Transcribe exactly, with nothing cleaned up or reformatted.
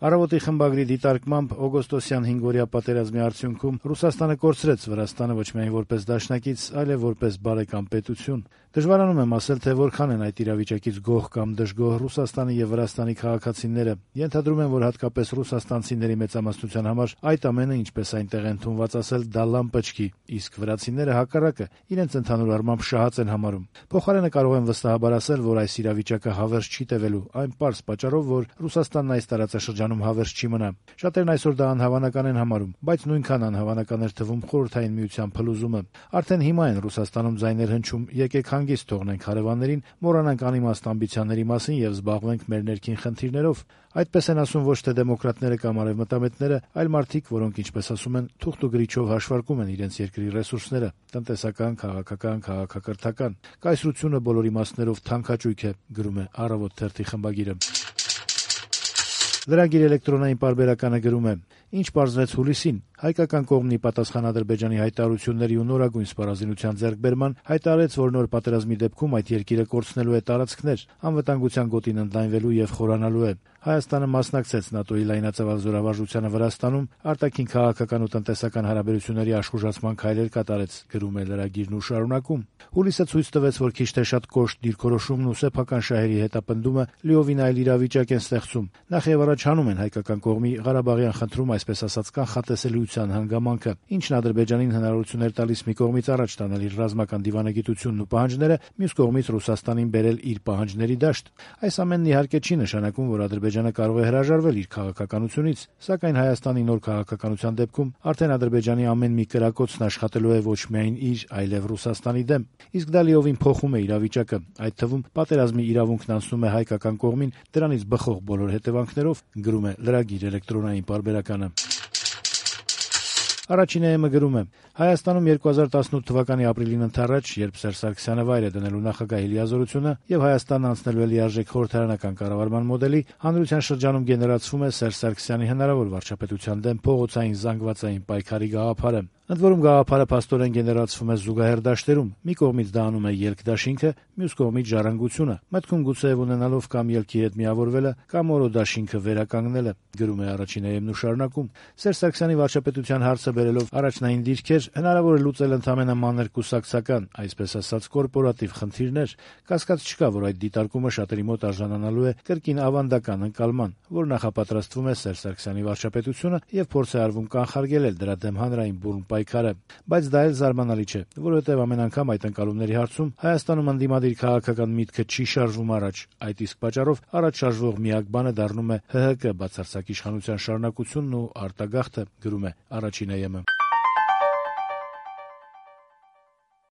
Առավոտի խմբագրի դիտարկմամբ օգոստոսյան հինգօրյա պատերազմի արդյունքում Ռուսաստանը կորցրեց Վրաստանը ոչ միայն որպես դաշնակից, այլև որպես բարեկամ պետություն։ Դժվարանում եմ ասել, թե որքան են այդ իրավիճակից գոհ կամ դժգոհ Ռուսաստանի եւ Վրաստանի քաղաքացիները։ Ենթադրում եմ, որ հատկապես ռուսաստանցիների մեծամասնության համար այդ ամենը, ինչպես այնտեղ են թումված ասել, դա լամպաճկի, իսկ վրացիները հակառակը իրենց ընդհանուր առմամբ շահած են համարում։ Փոխարենը կարող եմ վստահաբար ասել, որ այս իրավիճակը հավերժ չի տևելու, այն պարզ պատճառով, որ Ռուսաստանն այս տարածաշրջանում հավերժ չի մնա։ Շատերն այսօր դա անհավանական են համարում, բայց նույնքան անհավանական էր թվում Խորհրդային Միության փլուզումը։ Արդեն հիմա են Ռուսաստանում ձայներ հնչում, եկեք հանգիստ թողնենք հարևաններին, մոռանանք անիմաստ ամբիցիաների մասին եւ զբաղվենք մեր ներքին խնդիրներով։ Այդպես են ասում ոչ թե դեմոկրատները կամ արևմտամետները, այլ մարդիկ, որոնք, ինչպես ասում են, թուղթ ու գրիչով հաշվարկում են իրենց երկրի ռեսուրսները՝ տնտեսական, քաղաքական, քաղաքակրթական։ Կայսրությունը բոլոր իմաստներով թանքաճույք է, գրում է Առավոտ թերթի խմբագիրը։ Լրագիր էլեկտրոնային պարբերականը գրում է. «Ինչ պարզվեց հուլիսին, հայկական կողմն ի պատասխան Ադրբեջանի հայտարարությունների ու նորագույն սպառազինության ձեռքբերման հայտարարեց, որ նոր պատերազմի դեպքում այդ երկիրը կորցնելու է տարածքներ, անվտանգության գոտին ընդլայնվելու եւ խորանալու է։ Հայաստանը մասնակցեց ՆԱՏՕ-ի լայնածավալ զորավարժությանը Վրաստանում, արտաքին քաղաքական ու տնտեսական հարաբերությունների աշխուժացման քայլեր կատարեց», գրում է լրագիրն ու շարունակում. «Հուլիսը ցույց տվեց, որ քիչ թե շատ կոշտ դիրքորոշումն ու սեփական շահերի հետապնդումը լիովին այլ իրավիճակ են ստեղծում։ Նախ եւ առաջ հանում են հայկական կողմի Ղարաբաղյան խնդրում, այսպես ասած, կանխատեսելիության հանգամանքը, ինչն Ադրբեջանին հնարավորություն էր տալիս մի կողմից առաջ տանել իր ռազմական դիվանագիտությունն ու պահանջները, մյուս կողմից Ռուսաստանին բերել իր պահանջների դաշտ։ Այս ամենն իհարկե չի նշանակում, որ Ադրբեջանը կարող է հրաժարվել իր քաղաքականությունից, սակայն Հայաստանի նոր քաղաքականության դեպքում արդեն Ադրբեջանի ամեն մի կրակոցն աշխատելու է ոչ միայն իր, այլև Ռուսաստանի դեմ։ Իսկ դա լիովին փոխում է իրավիճակը, այդ թվում պատերազմի իրավունքն անցնում է հայկական կողմին, դրանից բխող բոլոր հետևանքներով», գրում է լրագիր էլեկտրոնային պարբերականը։ Առաջին է.մ գրում է. «Հայաստանում երկու հազար տասնութ թվականի ապրիլին ընդառաջ, երբ Սերժ Սարգսյանը վայր է դնելու նախագահի լիազորությունը եւ Հայաստանն անցնելու է լիարժեք խորհրդարանական կառավարման մոդելի, հանրության շրջանում գեներացվում է Սերժ Սարգսյանի հնարավոր վարչապետության դեմ փողոցային զանգվածային պայքարի գաղափարը։ Ընդ որում գաղափարը փաստորեն գեներացվում է զուգահեռ դաշտերում։ Մի կողմից դա անում է ելք-դաշինքը, մյուս կողմից ժառանգությունը, մտքում գուցեև ունենալով կամ ելքի հետ միավորվելը, կամ օրո-դաշինքը վերականգնելը», գրում է առաջին է.մ-ն ու շարունակում. «Սերժ Սարգսյանի վարչապետության հարցը բերելով առաջնային դիրքեր, հնարավոր է լուծել ընդամենը մանր կուսակցական, այսպես ասած կորպորատիվ խնդիրներ։ Կասկած չկա, որ այդ դիտարկումը շատերի մոտ արժանանալու է կրկին ավանդական ընկալման, որ նախապատրաստվում է Սերժ Սարգսյանի վարչապետությունը եւ փորձ է արվում կանխարգելել դրա դեմ հանրային բուրն պայքարը։ Բայց դա էլ զարմանալի չէ, որովհետեւ ամեն անգամ այդ ընկալումների հարցում Հայաստանում ընդդիմադիր քաղաքական միտքը չի շարժվում առաջ։ Այդ իսկ պատճառով առաջ շարժվող միակ բանը դառնում է ՀՀԿ բացարձակ իշխանության շարունակությունն ու արտագաղթը», գրում է առաջին է.մ-ը։